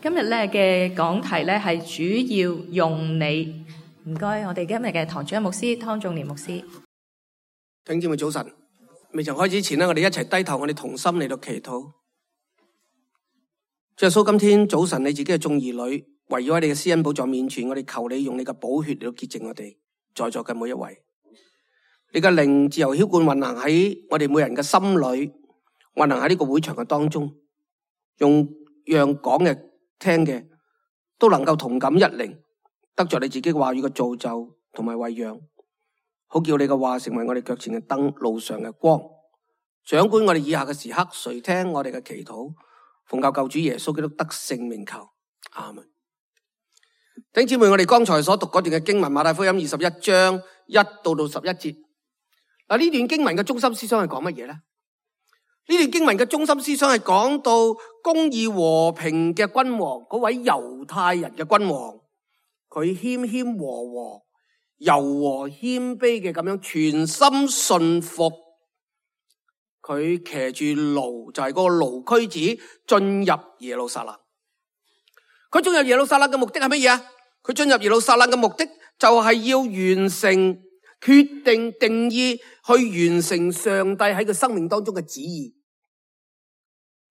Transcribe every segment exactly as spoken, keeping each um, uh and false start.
今日咧嘅講題咧係主要用你，唔該，我哋今日嘅堂主任牧師湯仲年牧師。弟兄姊妹早晨，未曾開始前咧，我哋一齊低頭，我哋同心嚟到祈禱。主耶穌，今天早晨你自己嘅眾兒女圍繞喺你嘅施恩寶座面前，我哋求你用你嘅寶血嚟到潔淨我哋在座嘅每一位。你嘅靈自由澆灌運行喺我哋每人嘅心裏，運行喺呢個會場嘅當中，用讓講嘅聽嘅都能夠同感一靈，得着你自己話語嘅造就同埋餵養，好叫你嘅話成為我哋腳前嘅燈，路上嘅光，掌管我哋以下嘅時刻。垂聽我哋嘅祈禱，奉靠救主耶穌基督得聖名求，阿門。弟兄姊妹，我哋剛才所讀嗰段嘅經文，馬太福音二十一章一到到十一節。嗱，呢段經文嘅中心思想係講乜嘢咧？呢段經文嘅中心思想係講到公義和平嘅君王，嗰位猶太人嘅君王，佢謙謙和和、柔和謙卑嘅咁樣全心信服，佢騎住驢，就係、是、嗰個驢駒子進入耶路撒冷。佢進入耶路撒冷嘅目的係乜嘢啊？佢進入耶路撒冷嘅目的就係要完成、決定、定義，去完成上帝喺佢生命當中嘅旨意。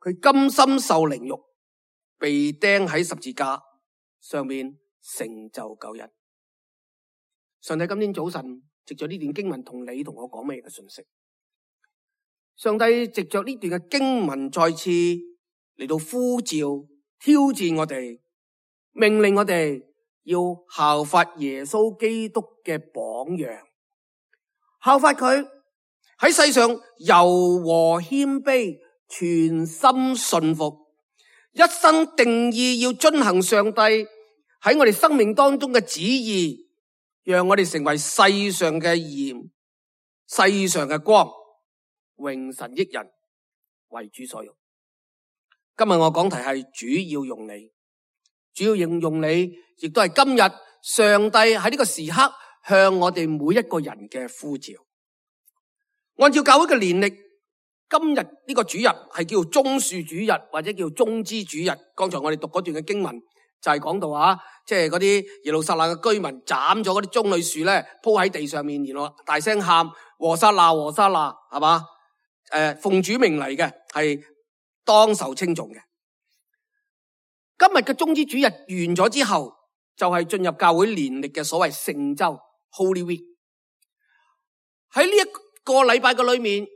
佢甘心受凌辱，被釘喺十字架上面，成就救恩。上帝今天早晨藉着呢段經文同你同我講乜嘢嘅信息？上帝藉着呢段嘅經文再次嚟到呼召、挑戰我哋，命令我哋要效法耶穌基督嘅榜樣，效法佢喺世上柔和謙卑，全心信服，一生定義要遵行上帝喺我哋生命當中嘅旨意，讓我哋成為世上嘅鹽，世上嘅光，榮神益人，為主所用。今日我講題係主要用你，主要應用你，亦都係今日上帝喺呢個時刻向我哋每一個人嘅呼召。按照教會嘅年曆，今日呢個主日係叫棕樹主日，或者叫棕枝主日。剛才我哋讀嗰段嘅經文就係講到啊，即係嗰啲耶路撒冷嘅居民斬咗嗰啲棕櫚樹咧，鋪喺地上面，然後大聲喊和散那和散那，係嘛？誒、呃，奉主名嚟嘅，係當受稱頌嘅。今日嘅棕枝主日完咗之後，就係、是、進入教會年曆嘅所謂聖週 Holy Week。喺呢一個禮拜嘅裏面，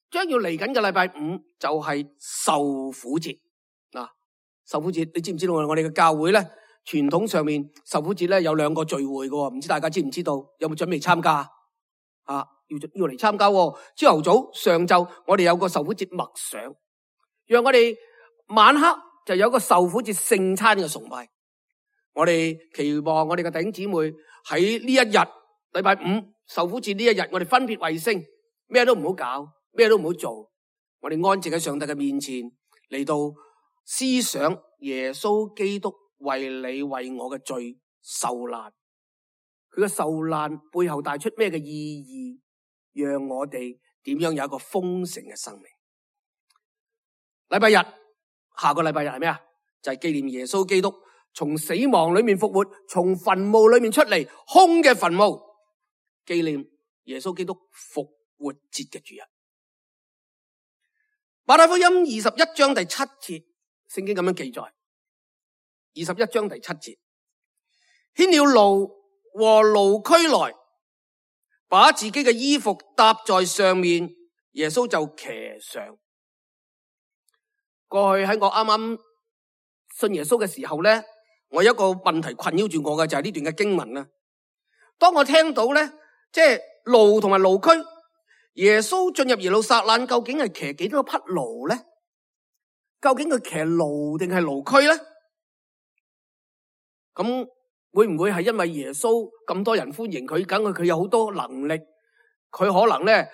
將要嚟緊嘅禮拜五就係受苦節嗱。受苦節，你知唔知道我哋嘅教會咧傳統上面受苦節咧有兩個聚會嘅，唔知大家知唔知道？有冇準備參加啊？要要嚟參加。朝頭早、上晝我哋有個受苦節默想，讓我哋晚黑就有個受苦節聖餐嘅崇拜。我哋期望我哋嘅弟兄姊妹喺呢一日禮拜五受苦節呢一日，我哋分別為聖，咩都唔好搞，咩都唔好做，我哋安靜喺上帝嘅面前嚟到思想耶穌基督為你為我嘅罪受難，佢嘅受難背後帶出咩嘅意義，讓我哋點樣有一個豐盛嘅生命。禮拜日，下個禮拜日係咩啊？就係紀念耶穌基督從死亡裏面復活，從墳墓裏面出嚟，空嘅墳墓，紀念耶穌基督復活節嘅主日。馬太福音二十一章第七節，聖經咁樣記載。二十一章第七節，牽了驢和驢駒來，把自己嘅衣服搭在上面，耶穌就騎上。過去喺我啱啱信耶穌嘅時候咧，我有一個問題困擾住我嘅，就係呢段嘅經文啦。當我聽到咧，即係驢同埋驢駒，耶穌進入耶路撒冷，究竟係騎幾多匹驢咧？究竟佢騎驢定係驢駒咧？咁會唔會係因為耶穌咁多人歡迎佢，梗係佢有好多能力，佢可能咧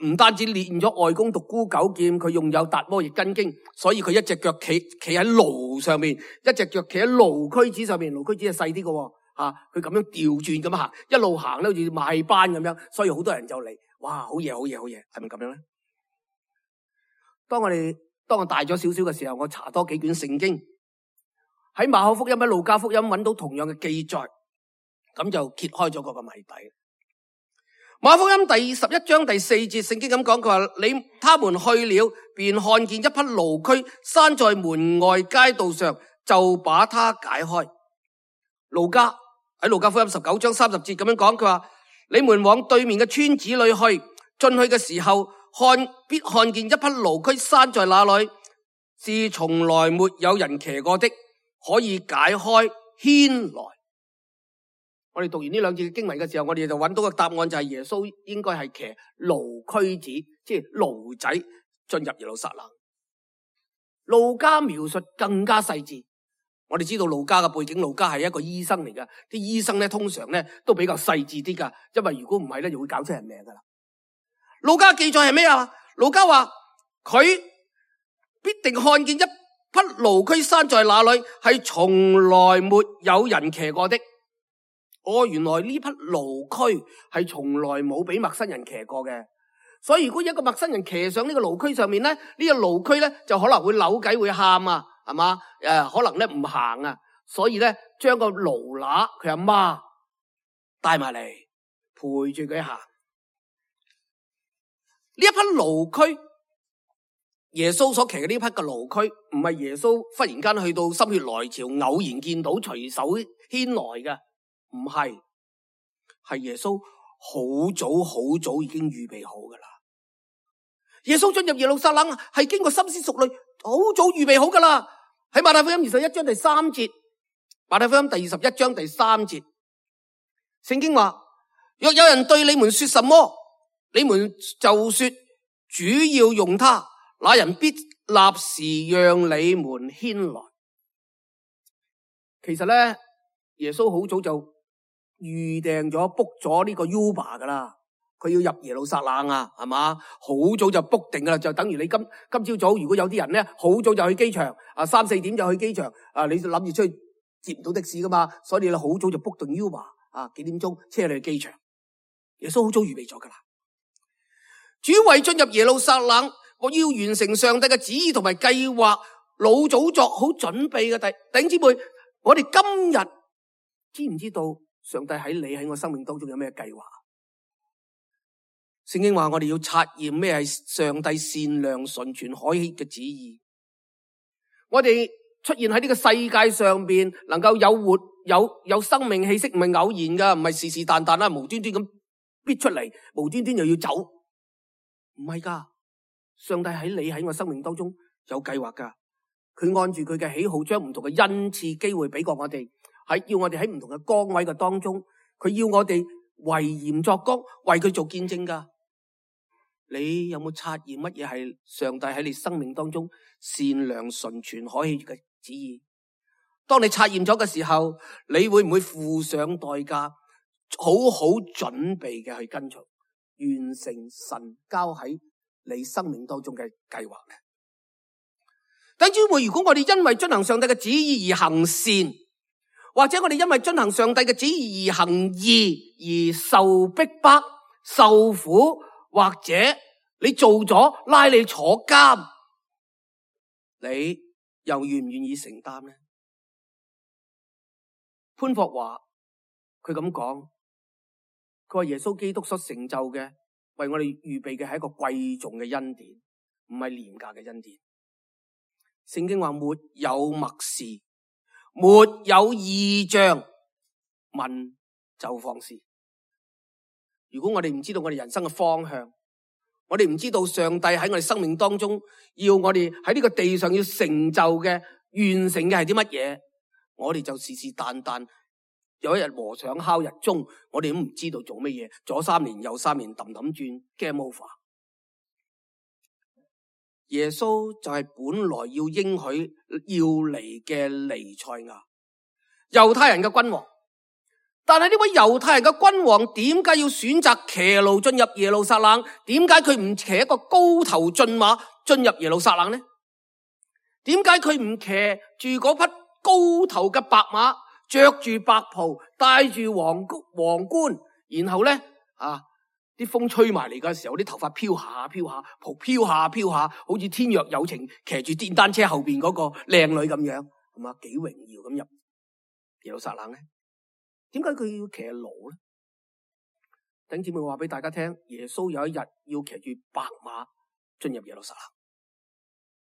唔單止練咗外功獨孤九劍，佢用有達摩易筋經，所以佢一隻腳企企喺驢上面，一隻腳企喺驢駒子上面，驢駒子係細啲嘅，吓佢咁樣調轉咁行，一路行咧好似邁班咁樣，所以好多人就嚟，哇，好嘢好嘢好嘢，係咪咁樣咧？當我哋當我大咗少少嘅時候，我查多幾卷聖經，喺馬可福音、喺路加福音揾到同樣嘅記載，咁就揭開咗嗰個謎底。馬可福音第十一章第四節，聖經咁講，佢話：你他們去了，便看見一匹驢駒拴在門外街道上，就把它解開。路加喺路加福音十九章三十節咁樣講，佢話：你們往對面嘅村子裏去，進去嘅時候，看必看見一匹驢駒拴在那裏，是從來沒有人騎過的，可以解開牽來。我哋讀完呢兩節經文嘅時候，我哋就揾到個答案，就係耶穌應該係騎驢駒子，即係驢仔進入耶路撒冷。路加描述更加細緻。我哋知道路加嘅背景，路加係一個醫生嚟噶，啲醫生咧通常咧都比較細緻啲噶，因為如果唔係咧，就會搞出人命噶啦。路加記載係咩啊？路加話佢必定看見一匹驢駒拴在那裏，係從來沒有人騎過的。哦，原來呢匹驢駒係從來冇俾陌生人騎過嘅，所以如果一個陌生人騎上呢個驢駒上面咧，呢個驢駒咧就可能會扭計會喊啊，係嘛？誒，可能咧唔行啊，所以咧將個驢乸佢阿媽帶埋嚟陪住佢行。呢一匹驢駒，耶穌所騎嘅呢匹嘅驢駒，唔係耶穌忽然間去到心血來潮偶然見到隨手牽來嘅。唔係，係耶穌好早好早已經預備好噶啦。耶穌進入耶路撒冷係經過深思熟慮，好早預備好噶啦。喺馬太福音二十一章第三節，馬太福音第二十一章第三節，聖經話：若有人對你們說什麼，你們就說主要用他，那人必立時讓你們牽來。其實咧，耶穌好早就預訂咗 book 咗呢個 Uber 噶啦，佢要入耶路撒冷啊，係嘛？好早就 book 定噶啦，就等於你今今朝早，如果有啲人咧好早就去機場啊，三四點就去機場啊，你就諗住出去接唔到的士噶嘛，所以你好早就 book 定 Uber 啊，幾點鐘車你去機場？耶穌好早預備咗噶啦。主為進入耶路撒冷，我要完成上帝嘅旨意同埋計劃，老早作好準備嘅。弟弟兄姊妹，我哋今日知唔知道上帝喺你喺我生命當中有咩計劃？聖經話我哋要察驗咩係上帝善良純全可喜嘅旨意。我哋出現喺呢個世界上邊，能夠有活有有生命氣息，唔係偶然噶，唔係是是但但啦，無端端咁逼出嚟，無端端又要走，唔係噶。上帝喺你喺我生命當中有計劃噶，佢按住佢嘅喜好，將唔同嘅恩賜機會俾過我哋。係要我哋喺唔同嘅崗位嘅當中，佢要我哋為鹽作光，為佢做見證噶。你有冇察驗乜嘢係上帝喺你生命當中善良純全可喜嘅旨意？當你察驗咗嘅時候，你會唔會付上代價，好好準備嘅去跟隨，完成神交喺你生命當中嘅計劃呢？弟兄姊妹，如果我哋因為遵行上帝嘅旨意而行善，或者我哋因為遵行上帝嘅旨意而行義，而受逼迫、受苦，或者你做咗拉你坐監，你又願唔願意承擔呢？潘霍華佢咁講，佢話耶穌基督所成就嘅，為我哋預備嘅係一個貴重嘅恩典，唔係廉價嘅恩典。聖經話沒有默示，沒有異象，問就放肆。如果我哋唔知道我哋人生嘅方向，我哋唔知道上帝喺我哋生命當中要我哋喺呢個地上要成就嘅、完成嘅係啲乜嘢，我哋就是是但但有一日和尚敲日鐘，我哋都唔知道做乜嘢，左三年右三年氹氹轉 game over。耶穌就係本來要應許要嚟嘅彌賽亞，猶太人嘅君王。但係呢位猶太人嘅君王點解要選擇騎驢進入耶路撒冷？點解佢唔騎一個高頭駿馬進入耶路撒冷呢？點解佢唔騎住嗰匹高頭嘅白馬，着住白袍，戴住皇皇冠，然後咧啊啲風吹埋嚟嘅時候，啲頭髮飄下飄下，袍飄下飄下，好似天若有情騎住電單車後邊嗰個靚女咁樣係嘛幾榮耀咁入耶路撒冷咧？點解佢要騎驢咧？弟兄姊妹話俾大家聽，耶穌有一日要騎住白馬進入耶路撒冷。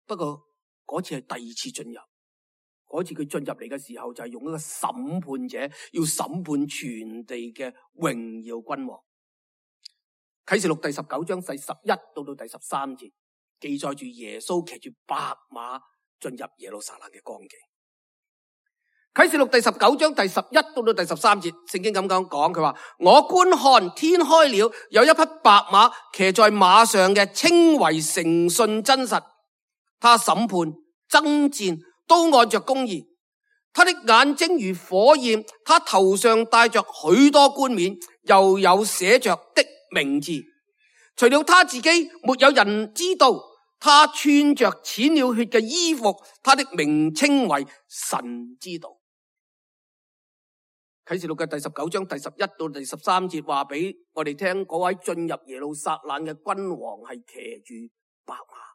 不過嗰次係第二次進入，嗰次佢進入嚟嘅時候就係用一個審判者，要審判全地嘅榮耀君王。啟示錄第十九章第十一到到第十三節記載住耶穌騎住白馬進入耶路撒冷嘅光景。啟示錄第十九章第十一到到第十三節，聖經咁樣講，佢話：我觀看天開了，有一匹白馬騎在馬上嘅，稱為誠信真實。他審判爭戰都按着公義，他的眼睛如火焰，他頭上戴着許多冠冕，又有寫着的名字。除了他自己，沒有人知道。他穿着濺了血嘅衣服，他的名稱為神之道。啟示錄嘅第十九章第十一到第十三節話俾我哋聽，嗰位進入耶路撒冷嘅君王係騎住白馬。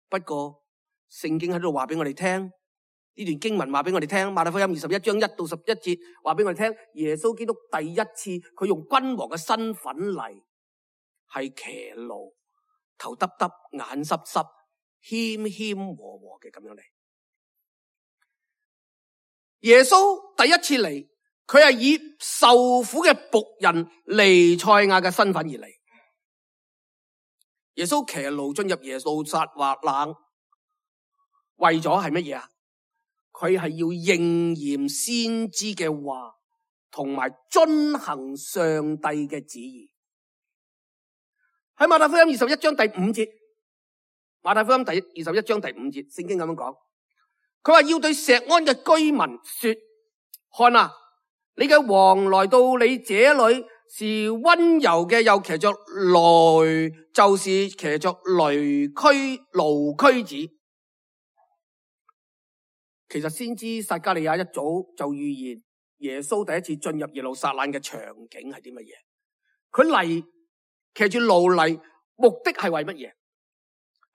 不過聖經喺度話俾我哋聽，呢段經文話俾我哋聽，馬太福音二十一章一到十一節話俾我哋聽，耶穌基督第一次佢用君王嘅身份嚟，係騎驢，頭耷耷，眼濕濕，謙謙和和嘅咁樣嚟。耶穌第一次嚟，佢係以受苦嘅僕人彌賽亞嘅身份而嚟。耶穌騎驢進入耶路撒冷，為咗係乜嘢啊？佢係要應驗先知嘅話，同埋遵行上帝嘅旨意。喺馬太福音二十一章第五節，馬太福音第二十一章第五節，聖經咁樣講，佢話要對錫安嘅居民說：看啊，你嘅王來到你這裏，是溫柔嘅，又騎着驢，就是騎着驢駒驢駒子。其實先知撒迦利亞一早就預言耶穌第一次進入耶路撒冷嘅場景係啲乜嘢？佢嚟騎住驢嚟，目的係為乜嘢？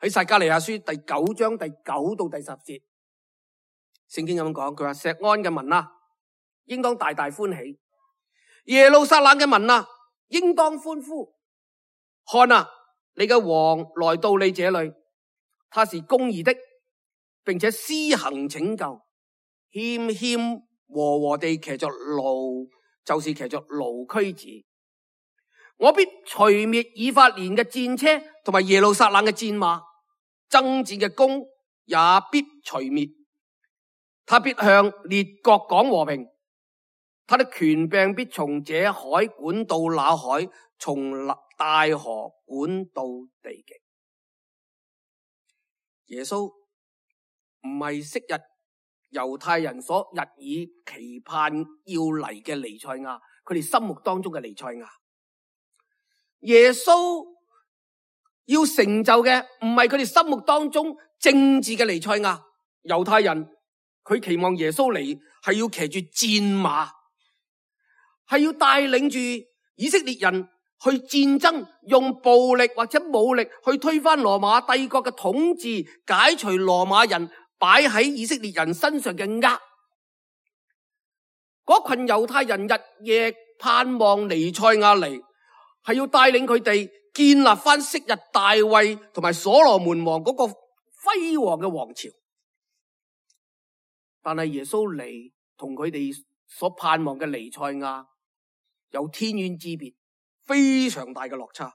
喺撒迦利亞書第九章第九到第十節，聖經咁樣講，佢話：錫安嘅民啊，應當大大歡喜；耶路撒冷嘅民啊，應當歡呼。看啊，你嘅王來到你這裏，他是公義的，並且施行拯救，謙謙和和地騎着驢，就是騎着驢駒子。我必除滅以法蓮嘅戰車，同埋耶路撒冷嘅戰馬，爭戰嘅弓也必除滅。他必向列國講和平，他的權柄必從這海管到那海，從大河管到地極。耶穌唔係昔日猶太人所日以期盼要嚟嘅彌賽亞，佢哋心目當中嘅彌賽亞。耶穌要成就嘅唔係佢哋心目當中政治嘅彌賽亞。猶太人佢期望耶穌嚟係要騎住戰馬，係要帶領住以色列人去戰爭，用暴力或者武力去推翻羅馬帝國嘅統治，解除羅馬人擺喺以色列人身上嘅軛。嗰群猶太人日夜盼望彌賽亞嚟，係要帶領佢哋建立翻昔日大衛同埋所羅門王嗰個輝煌嘅王朝。但係耶穌嚟同佢哋所盼望嘅彌賽亞有天淵之別，非常大嘅落差。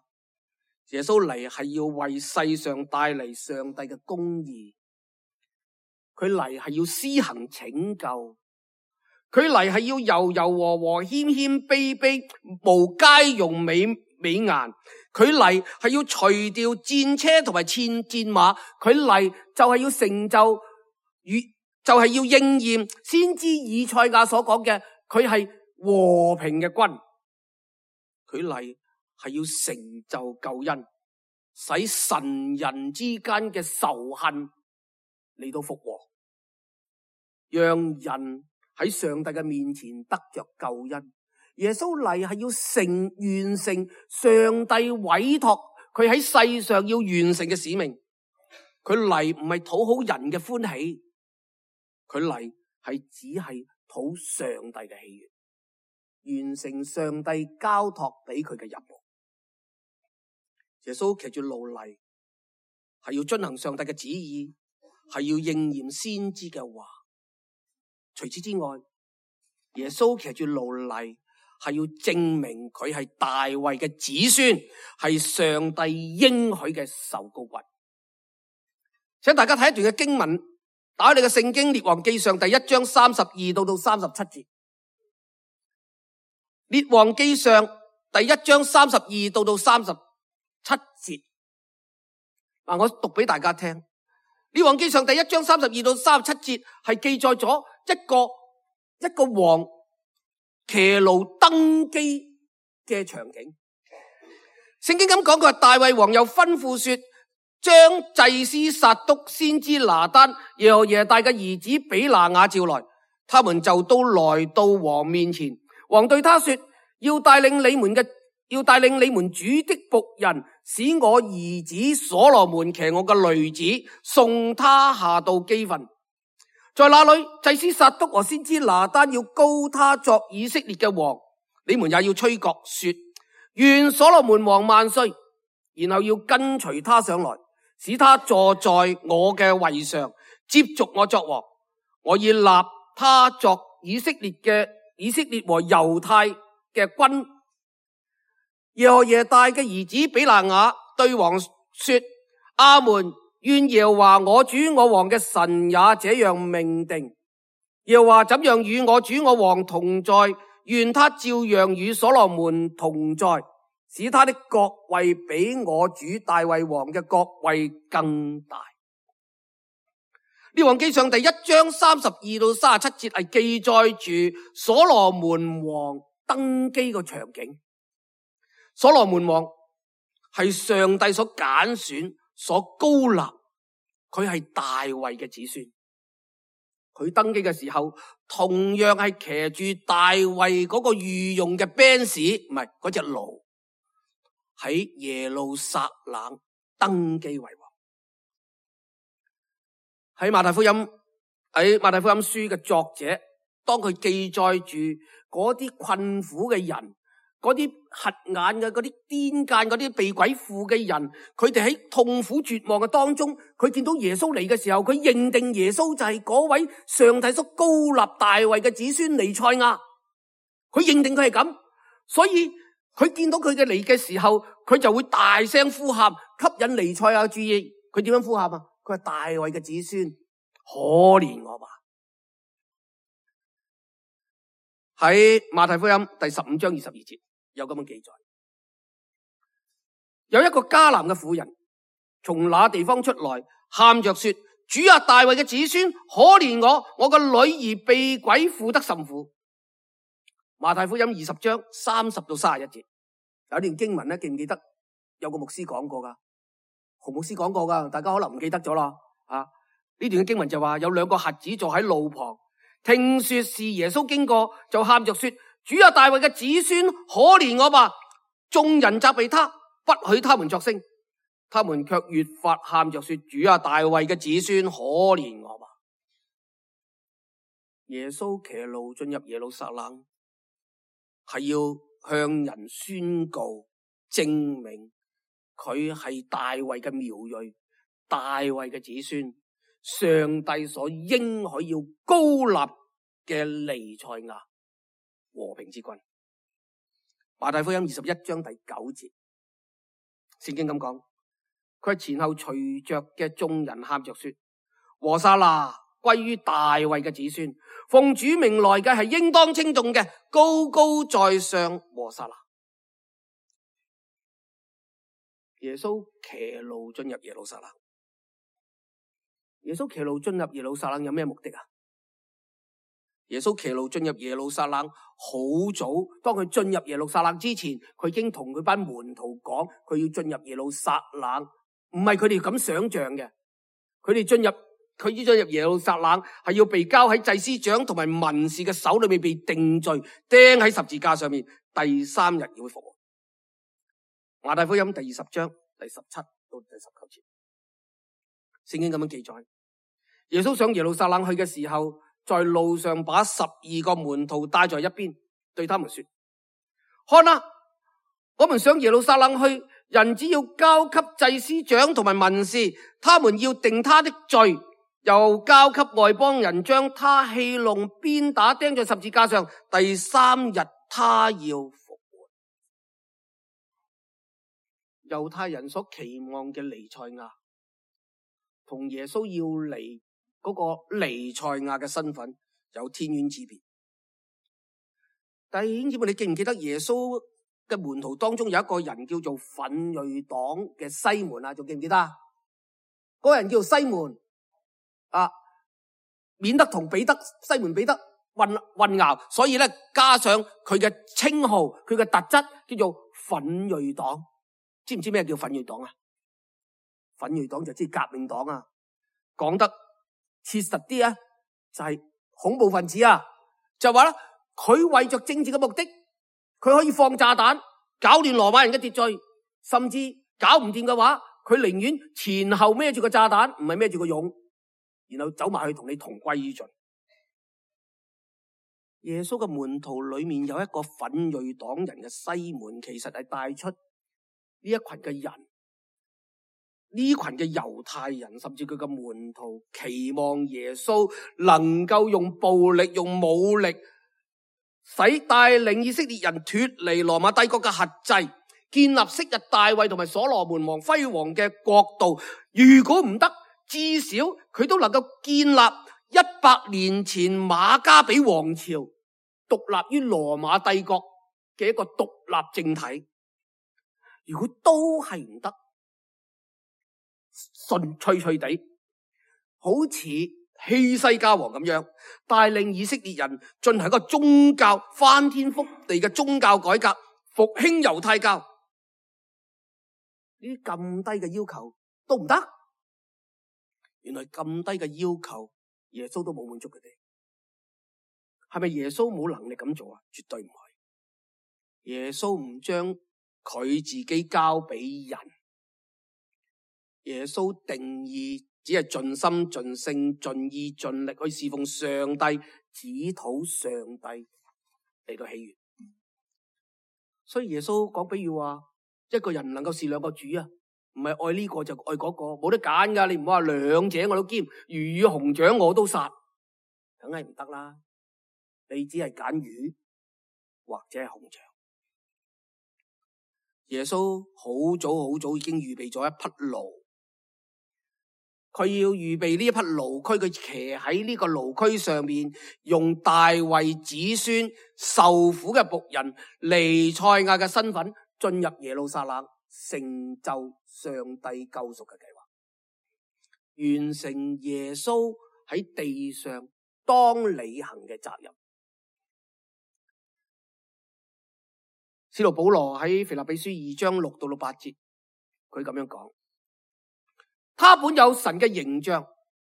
耶穌嚟係要為世上帶嚟上帝嘅公義，佢嚟係要施行拯救，佢嚟係要柔柔和和、謙謙卑卑、無佳容美美顏。佢嚟係要除掉戰車同埋戰戰馬，佢嚟就係要成就與就係、是、要應驗先知以賽亞所講嘅，佢係和平嘅君。佢嚟係要成就救恩，使神人之間嘅仇恨嚟到復和，讓人喺上帝嘅面前得着救恩。耶穌嚟係要成完成上帝委託佢喺世上要完成嘅使命。佢嚟唔係討好人嘅歡喜，佢嚟係只係討上帝嘅喜悅，完成上帝交託俾佢嘅任務。耶穌騎住驢嚟，係要遵行上帝嘅旨意，係要應驗先知嘅話。除此之外，耶穌騎住驢嚟，係要證明佢係大衛嘅子孫，係上帝應許嘅受膏君。請大家睇一段嘅經文，打開你嘅聖經《列王記上》第一章三十二到到三十七節。《列王記上》第一章三十二到到三十七節。嗱，我讀俾大家聽。《列王記上》第一章三十二到三十七節係記載咗一個一個王騎驢登基嘅場景。聖經咁講，佢話大衛王又吩咐說，將祭司撒督、先知拿單、耶何耶大嘅兒子比拿雅召來，他們就都來到王面前。王對他說，要帶領你們嘅要帶領你們主的僕人，使我兒子所羅門騎我嘅驢子，送他下到基訓。在那裏，祭司撒督和先知拿單要膏他作以色列嘅王，你們也要吹角說，願所羅門王萬歲。然後要跟隨他上來，使他坐在我嘅位上，接續我作王。我要立他作以色列嘅以色列和猶太嘅君。耶何耶大嘅兒子比拿雅對王說，阿門，願耶和華我主我王嘅神也這樣命定。耶和華怎樣與我主我王同在，願他照樣與所羅門同在，使他的國位比我主大衛王嘅國位更大。列王記上第一章三十二到三十七節係記載住所羅門王登基個場景。所羅門王係上帝所揀選、所膏立，佢係大衛嘅子孫。佢登基嘅時候，同樣係騎住大衛嗰個御用嘅班士，唔係嗰隻驢，喺耶路撒冷登基為王。喺馬太福音喺馬太福音書嘅作者，當佢記載住嗰啲困苦嘅人，嗰啲瞎眼嘅、嗰啲癲癇、嗰啲被鬼附嘅人，佢哋喺痛苦絕望嘅當中，佢見到耶穌嚟嘅時候，佢認定耶穌就係嗰位上帝所膏立大衛嘅子孫彌賽亞，佢認定佢係咁，所以佢見到佢嘅嚟嘅時候，佢就會大聲呼喊，吸引彌賽亞注意。佢點樣呼喊啊？佢係大衛嘅子孫，可憐我吧。喺馬太福音第十五章二十二節有咁樣記載，有一個迦南嘅婦人從那地方出來，喊着說，主啊，大衛嘅子孫，可憐我，我個女兒被鬼附得甚苦。馬太福音二十章三十到三十一節有一段經文咧，記唔記得？有個牧師講過噶，洪牧師講過噶，大家可能唔記得咗啦。啊，呢段嘅經文就話有兩個瞎子坐喺路旁，聽說是耶穌經過，就喊着說，主啊，大衛嘅子孫，可憐我吧。眾人責備他，不許他們作聲，他們卻越發喊着說，主啊，大衛嘅子孫，可憐我吧。耶穌騎驢進入耶路撒冷，係要向人宣告、證明佢係大衛嘅苗裔，大衛嘅子孫，上帝所應許要膏立嘅彌賽亞，和平之君。馬太福音二十一章第九節，聖經咁講，佢係前後隨着嘅眾人喊着說，和散那歸於大衛嘅子孫，奉主名來嘅係應當稱頌嘅，高高在上，和散那。耶穌騎驢進入耶路撒冷，耶穌騎驢進入耶路撒冷有咩目的啊？耶穌騎驢進入耶路撒冷好早，當佢進入耶路撒冷之前，佢已經同佢班門徒講，佢要進入耶路撒冷，唔係佢哋咁想象嘅。佢哋進入佢要進入耶路撒冷，係要被交喺祭司長同埋文士嘅手裏面被定罪，釘喺十字架上面，第三日要復活。馬太福音第二十章第十七到第十九節，聖經咁樣記載，耶穌上耶路撒冷去嘅時候，在路上把十二個門徒帶在一邊，對他們說：看啊，我們上耶路撒冷去，人只要交給祭司長同埋文士，他們要定他的罪，又交給外邦人將他戲弄、鞭打、釘在十字架上，第三日他要復活。猶太人所期望嘅彌賽亞，同耶穌要嚟嗰個彌賽亞嘅身份有天淵之別。弟兄姊妹，你記唔記得耶穌嘅門徒當中有一個人叫做奮銳黨嘅西門啊？仲記唔記得啊？嗰個人叫做西門啊，免得同彼得、西門彼得混混淆，所以咧加上佢嘅稱號，佢嘅特質叫做奮銳黨。知唔知咩叫奮銳黨啊？奮銳黨就即係革命黨啊！講得切實啲啊，就係恐怖分子啊！就話咧，佢為着政治嘅目的，佢可以放炸彈，搞亂羅馬人嘅秩序，甚至搞唔掂嘅話，佢寧願前後孭住個炸彈，唔係孭住個勇，然後走埋去同你同歸於盡。耶穌嘅門徒裏面有一個奮銳黨人嘅西門，其實係帶出呢一群嘅人，呢群嘅猶太人，甚至佢嘅門徒，期望耶穌能夠用暴力、用武力，使帶領以色列人脫離羅馬帝國嘅轄制，建立昔日大衛同埋所羅門王輝煌嘅國度。如果唔得，至少佢都能夠建立一百年前馬加比王朝獨立於羅馬帝國嘅一個獨立政體。如果都係唔得，順脆脆地，好似希西家王咁樣，帶領以色列人進行一個宗教翻天覆地嘅宗教改革，復興猶太教。呢啲咁低嘅要求都唔得，原來咁低嘅要求，耶穌都冇滿足佢哋。係咪耶穌冇能力咁做啊？絕對唔係。耶穌唔將佢自己交俾人，耶穌定義只係盡心盡性盡意盡力去侍奉上帝，只討上帝嚟到喜悅。所以耶穌講比喻話，一個人唔能夠侍兩個主啊，唔係愛呢個就愛嗰個，冇得揀噶。你唔好話兩者我都兼，魚與熊掌我都殺，梗係唔得啦。你只係揀魚或者係熊掌。耶穌好早好早已經預備咗一匹驢，佢要預備呢一匹驢駒，佢騎喺呢個驢駒上面，用大衛子孫受苦嘅僕人彌賽亞嘅身份進入耶路撒冷，成就上帝救贖嘅計劃，完成耶穌喺地上當履行嘅責任。使徒保羅喺腓立比書二章六到六八節，佢咁樣講：他本有神嘅形象，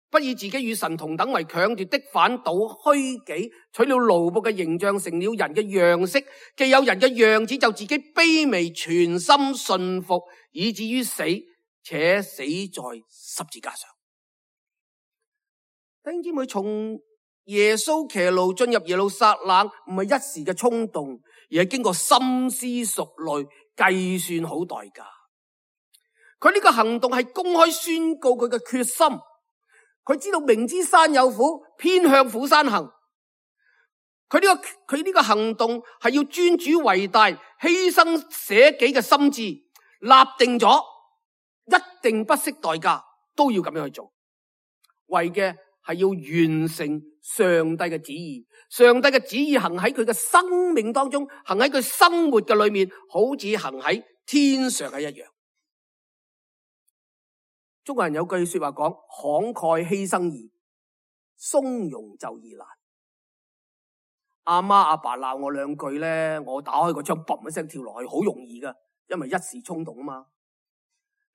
不以自己與神同等為強奪的，反倒虛己，取了奴僕嘅形象，成了人嘅樣式。既有人嘅樣子，就自己卑微，全心順服，以至於死，且死在十字架上。弟兄姊妹，從耶穌騎驢進入耶路撒冷，唔係一時嘅衝動，而係經過深思熟慮、計算好代價。佢呢個行動係公開宣告佢嘅決心。佢知道明知山有虎，偏向虎山行。佢呢個佢呢個行動係要尊主為大，犧牲捨己嘅心志，立定咗一定不惜代價都要咁樣去做，為嘅係要完成上帝嘅旨意。上帝嘅旨意行喺佢嘅生命當中，行喺佢生活嘅裏面，好似行喺天上嘅一樣。中國人有句說話講：慷慨犧牲易，從容就易難。阿媽阿爸鬧我兩句咧，我打開個窗，嘣一聲跳落去，好容易噶，因為一時衝動啊嘛。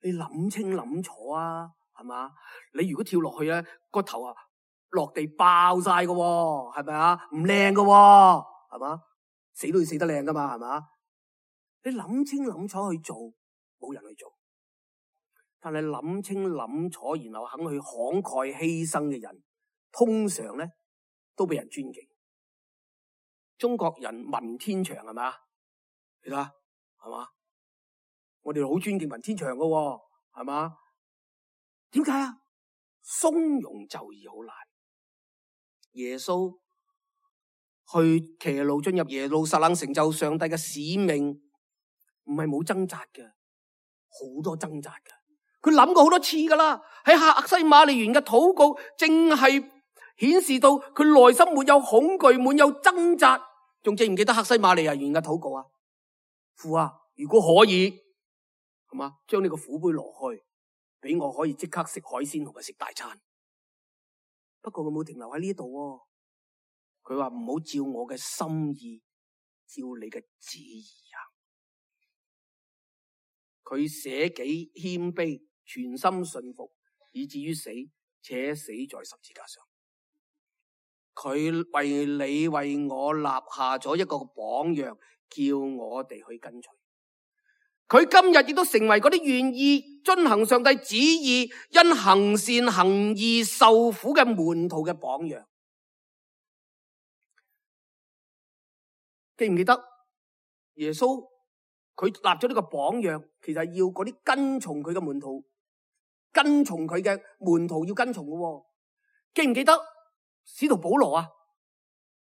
你諗清諗楚啊，係嘛？你如果跳落去咧，個頭啊落地爆晒噶，係咪啊？唔靚噶，係嘛？死都要死得靚噶嘛，係嘛？你諗清諗楚去做，冇人去做。但係諗清諗楚，然後肯去慷慨犧牲嘅人，通常咧都俾人尊敬。中國人文天祥係嘛？你睇下係嘛？我哋好尊敬文天祥噶，係嘛？點解啊？從容就義好難。耶穌去騎驢進入耶路撒冷，成就上帝嘅使命，唔係冇掙扎嘅，好多掙扎嘅。佢諗過好多次噶啦，喺客西馬尼園嘅禱告，正係顯示到佢內心沒有恐懼，沒有掙扎。仲記唔記得客西馬尼園嘅禱告啊？父啊，如果可以，係嘛，將呢個苦杯攞去，俾我可以即刻食海鮮同埋食大餐。不過佢冇停留喺呢度喎，佢話唔好照我嘅心意，照你嘅旨意啊！佢捨己謙卑，全心信服，以至於死，且死在十字架上。佢為你為我立下咗一個榜樣，叫我哋去跟隨。佢今日亦都成為嗰啲願意遵行上帝旨意、因行善行義受苦嘅門徒嘅榜樣。記唔記得耶穌佢立咗呢個榜樣，其實要嗰啲跟從佢嘅門徒，跟從佢嘅門徒要跟從嘅。記唔記得使徒保羅啊？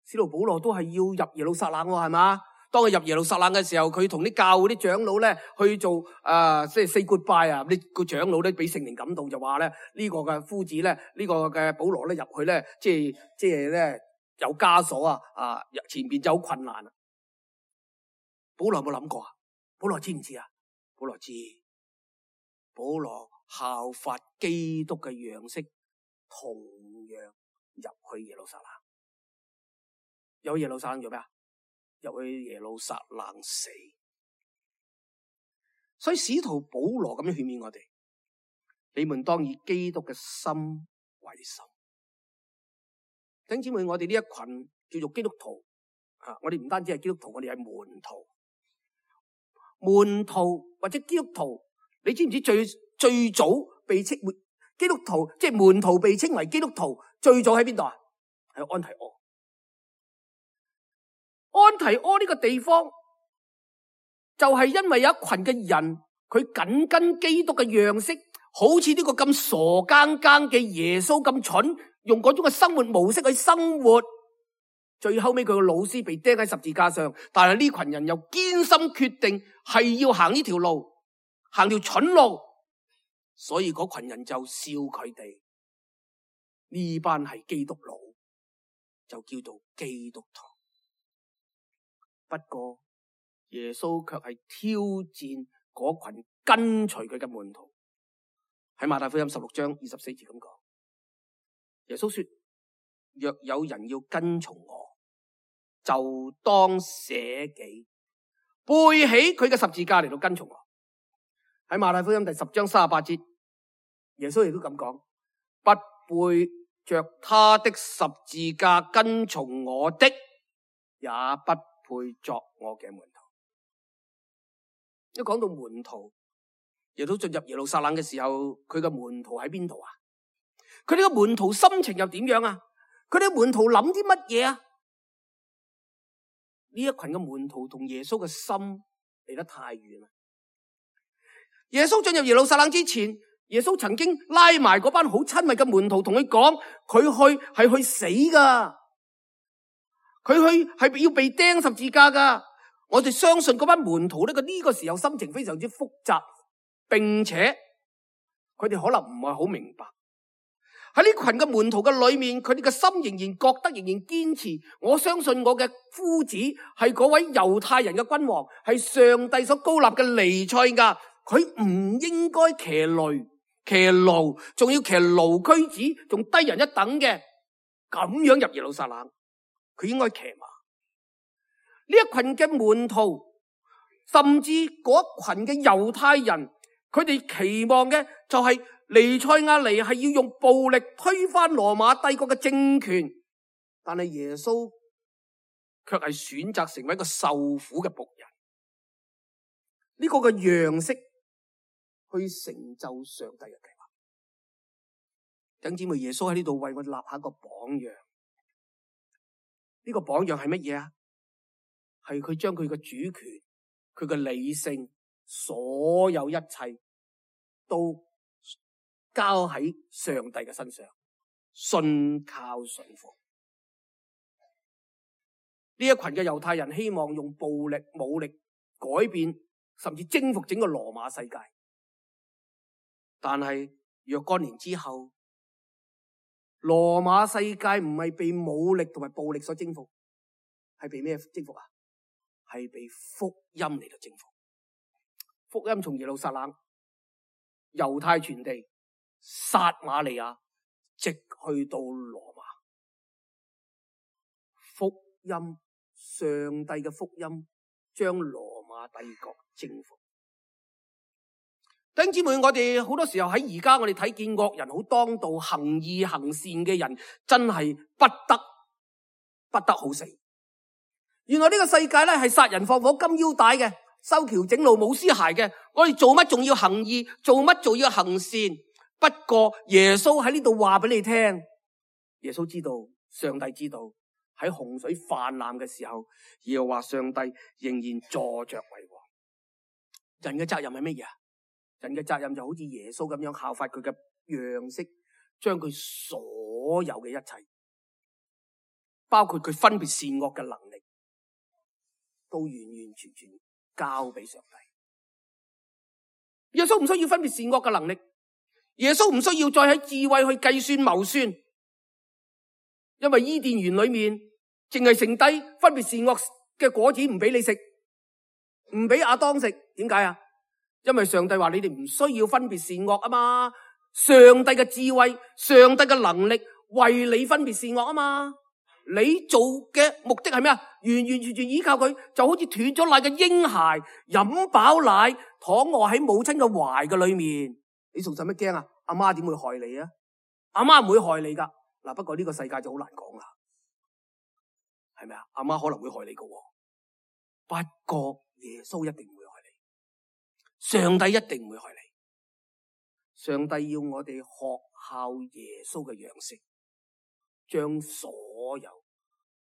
使徒保羅都係要入耶路撒冷喎，係嘛？當佢入耶路撒冷嘅時候，佢同啲教會啲長老咧去做啊，即係 say goodbye啊！呢個長老咧俾聖靈感動，就話咧呢個嘅夫子咧，呢個嘅保羅咧入去咧，即係即係咧有枷鎖啊！啊，前邊就好困難啊！保羅有冇諗過啊？保羅知唔知啊？保羅知，保羅效法基督嘅樣式，同樣入去耶路撒冷。有耶路撒冷做咩啊？入去耶路撒冷死。所以使徒保羅咁樣勸勉我哋，你們當以基督嘅心為心。弟兄姊妹，我哋呢一群叫做基督徒啊，我哋唔單止係基督徒，我哋係門徒。門徒或者基督徒，你知唔知最最早被稱為基督徒，即係門徒被稱為基督徒，最早喺邊度啊？喺安提阿。安提阿呢個地方就係因為有一群嘅人，佢緊跟基督嘅樣式，好似呢個咁傻更更嘅耶穌咁蠢，用嗰種嘅生活模式去生活。最後尾佢個老師被釘喺十字架上，但係呢群人又堅心決定係要行呢條路，行條蠢路，所以嗰群人就笑佢哋呢班係基督佬，就叫做基督徒。不過耶穌卻係挑戰嗰群跟隨佢嘅門徒。喺馬太福音十六章二十四節咁講，耶穌說：若有人要跟從我，就當捨己，背起佢嘅十字架嚟到跟從我。喺馬太福音第十章三十八節，耶穌亦都咁講：不背着他的十字架跟從我的，也不配作我嘅門徒。一講到門徒，耶穌進入耶路撒冷嘅時候，佢嘅門徒喺邊度啊？佢哋嘅門徒心情又點樣啊？佢哋嘅門徒諗啲乜嘢啊？呢一群嘅門徒同耶穌嘅心離得太遠啦。耶穌進入耶路撒冷之前，耶穌曾經拉埋嗰班好親密嘅門徒，同佢講：佢去係去死噶。佢去係要被釘十字架噶。我哋相信嗰班門徒呢個呢個時候心情非常之複雜，並且佢哋可能唔係好明白。喺呢群嘅門徒嘅裏面，佢哋嘅心仍然覺得仍然堅持，我相信我嘅夫子係嗰位猶太人嘅君王，係上帝所膏立嘅彌賽亞，佢唔應該騎驢騎驢，仲要騎驢駒子，仲低人一等嘅，咁樣入耶路撒冷。佢應該騎馬。呢一群嘅門徒，甚至嗰一群嘅猶太人，佢哋期望嘅就係彌賽亞嚟係要用暴力推翻羅馬帝國嘅政權，但係耶穌卻係選擇成為一個受苦嘅僕人。呢個嘅樣式去成就上帝嘅計劃。弟兄姊妹，耶穌喺呢度為我哋立下一個榜樣。呢個榜樣係乜嘢啊？係佢將佢嘅主權、佢嘅理性，所有一切都交喺上帝嘅身上，信靠順服。呢一群嘅猶太人希望用暴力、武力改變，甚至征服整個羅馬世界。但係若干年之後，羅馬世界唔係被武力同埋暴力所征服，係被咩征服啊？係被福音嚟到征服。福音從耶路撒冷、猶太全地、撒瑪利亞，直去到羅馬。福音，上帝嘅福音，將羅馬帝國征服。弟兄姊妹，我哋好多時候喺而家我哋睇見惡人好當道、行義行善嘅人，真係不得不得好死。原來呢個世界咧係殺人放火金腰帶嘅，修橋整路冇屍骸嘅。我哋做乜仲要行義？做乜仲要行善？不過耶穌喺呢度話俾你聽，耶穌知道，上帝知道，喺洪水泛濫嘅時候，耶和華上帝仍然坐着為王。人嘅責任係乜嘢啊？人嘅責任就好似耶穌咁樣效法佢嘅樣式，將佢所有嘅一切，包括佢分別善惡嘅能力，都完完全全交俾上帝。耶穌唔需要分別善惡嘅能力，耶穌唔需要再喺智慧去計算謀算，因為伊甸園裏面淨係剩低分別善惡嘅果子唔俾你食，唔俾亞當食。點解啊？因為上帝話你哋唔需要分別善惡啊嘛，上帝嘅智慧、上帝嘅能力為你分別善惡啊嘛。你做嘅目的係咩啊？完完全全依靠佢，就好似斷咗奶嘅嬰孩飲飽奶，躺臥喺母親嘅懷嘅裏面，你仲使乜驚啊？阿媽點會害你啊？阿媽唔會害你噶。嗱，不過呢個世界就好難講啦，係咪啊？阿媽可能會害你噶，不過耶穌一定唔會害你，上帝一定唔會害你。上帝要我哋學效耶穌嘅樣式，將所有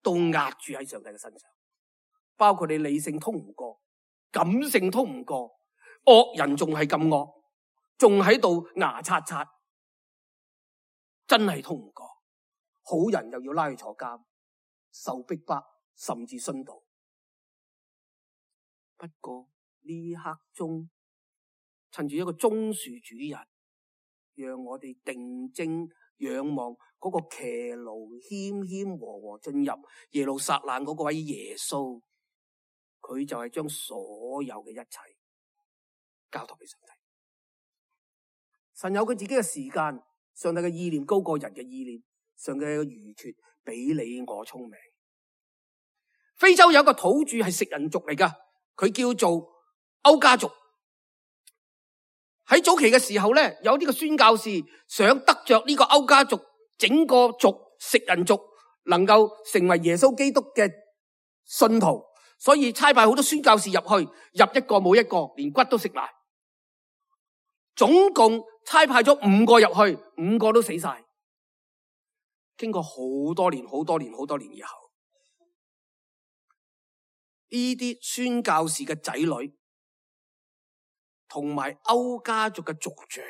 都壓住喺上帝嘅身上，包括你理性通唔過，感性通唔過，惡人仲係咁惡，仲喺度牙刷刷，真係通唔過。好人又要拉去坐監，受逼迫，甚至殉道。不過呢刻中，趁住一個棕樹主日，讓我哋定睛仰望嗰個騎驢謙謙和和進入耶路撒冷嗰個位耶穌，佢就係將所有嘅一切交託俾上帝。神有佢自己嘅時間，上帝嘅意念高過人嘅意念，上帝嘅愚拙比你我聰明。非洲有一個土著係食人族嚟噶，佢叫做歐家族。喺早期嘅時候咧，有呢個宣教士想得着呢個歐家族整個族食人族能夠成為耶穌基督嘅信徒，所以差派好多宣教士入去，入一個冇一個，連骨都食埋。總共差派咗五個入去，五個都死晒。經過好多年、好多年、好多年以後，呢啲宣教士嘅仔女同埋歐家族嘅族長，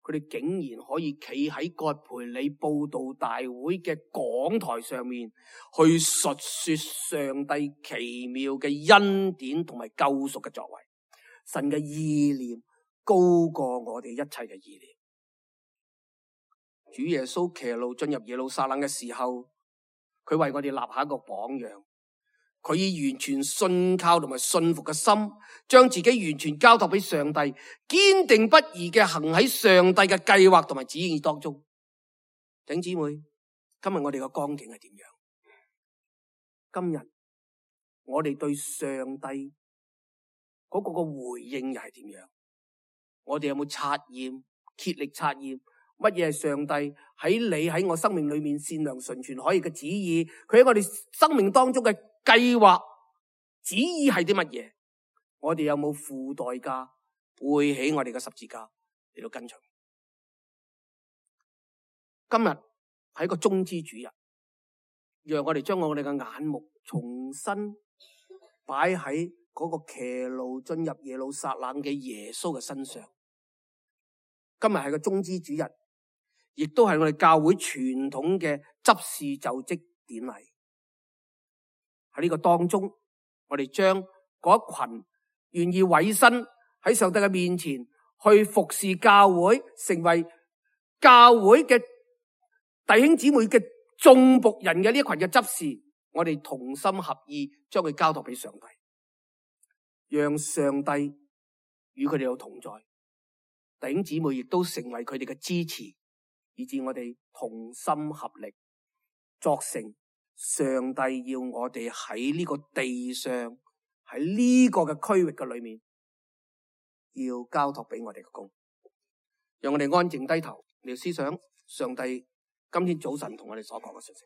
佢哋竟然可以企喺葛培理佈道大會嘅講台上面，去述說上帝奇妙嘅恩典同埋救贖嘅作為。神嘅意念高過我哋一切嘅意念。主耶穌騎驢進入耶路撒冷嘅時候，佢為我哋立下一個榜樣。佢以完全信靠同埋信服嘅心，將自己完全交託俾上帝，堅定不移嘅行喺上帝嘅計劃同埋旨意當中。弟兄姊妹，今日我哋嘅光景係點樣？今日我哋對上帝嗰個個回應又係點樣？我哋有冇察驗、竭力察驗乜嘢係上帝喺你喺我生命裏面善良純全可以嘅旨意？佢喺我哋生命當中嘅計劃旨意係啲乜嘢？我哋有冇付代價背起我哋嘅十字架嚟到跟隨？今日係一個棕枝主日，讓我哋將我哋嘅眼目重新擺喺嗰個騎驢進入耶路撒冷嘅耶穌嘅身上。今日係個棕枝主日，亦都係我哋教會傳統嘅執事就職典禮。喺呢個當中，我哋將嗰一群願意委身喺上帝嘅面前去服侍教會，成為教會嘅弟兄姊妹嘅眾僕人嘅呢一群嘅執事，我哋同心合意將佢交託俾上帝，讓上帝與佢哋有同在。弟兄姊妹亦都成為佢哋嘅支持，以致我哋同心合力作成上帝要我哋喺呢個地上，喺呢個嘅區域嘅裏面要交託俾我哋嘅工。讓我哋安靜低頭嚟思想上帝今天早晨同我哋所講嘅信息。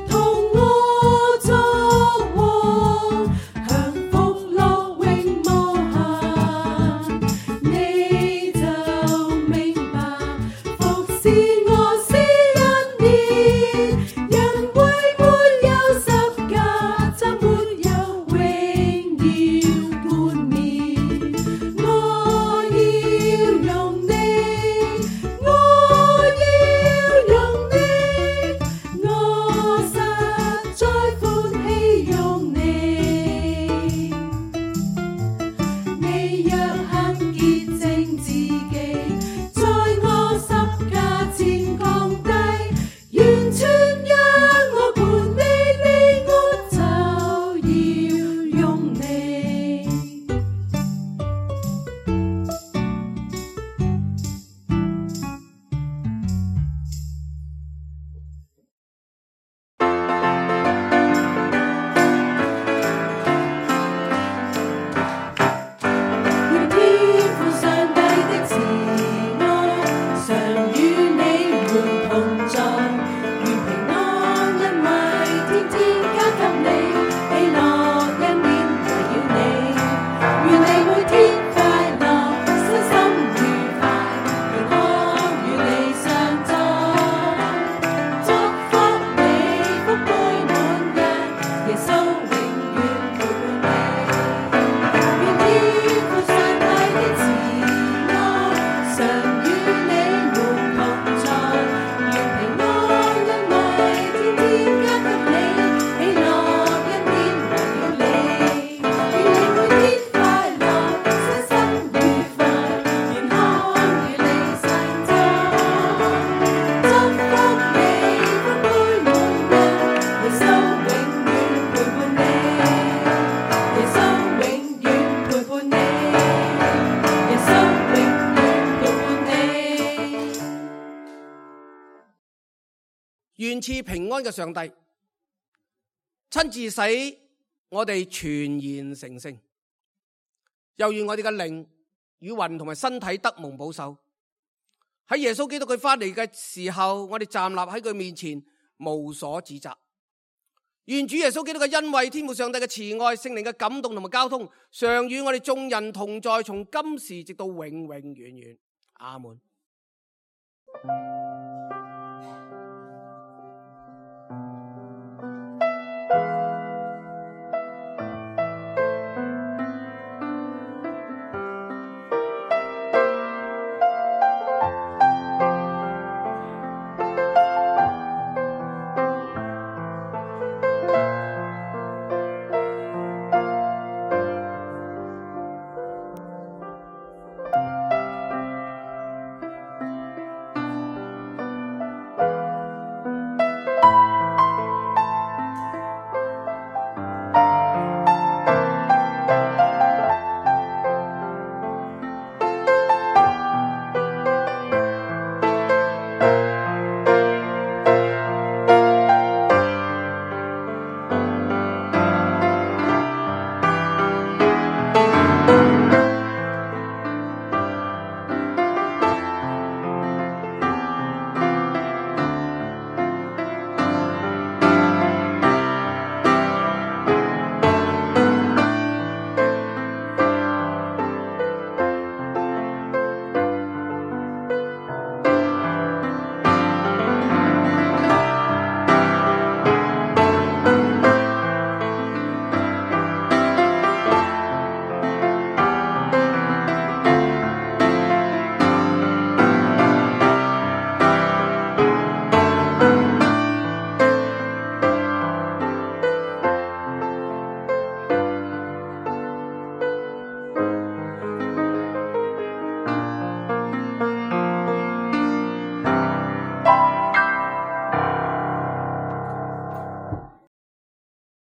同我作王，享福樂。願賜平安嘅上帝，親自使我哋全然成聖，又願我哋嘅靈與魂同埋身體得蒙保守。喺耶穌基督佢翻嚟嘅時候，我哋站立喺佢面前，無所指責。願主耶穌基督嘅恩惠、天父上帝嘅慈愛、聖靈嘅感動同埋交通，常與我哋眾人同在，從今時直到永永遠遠。阿門。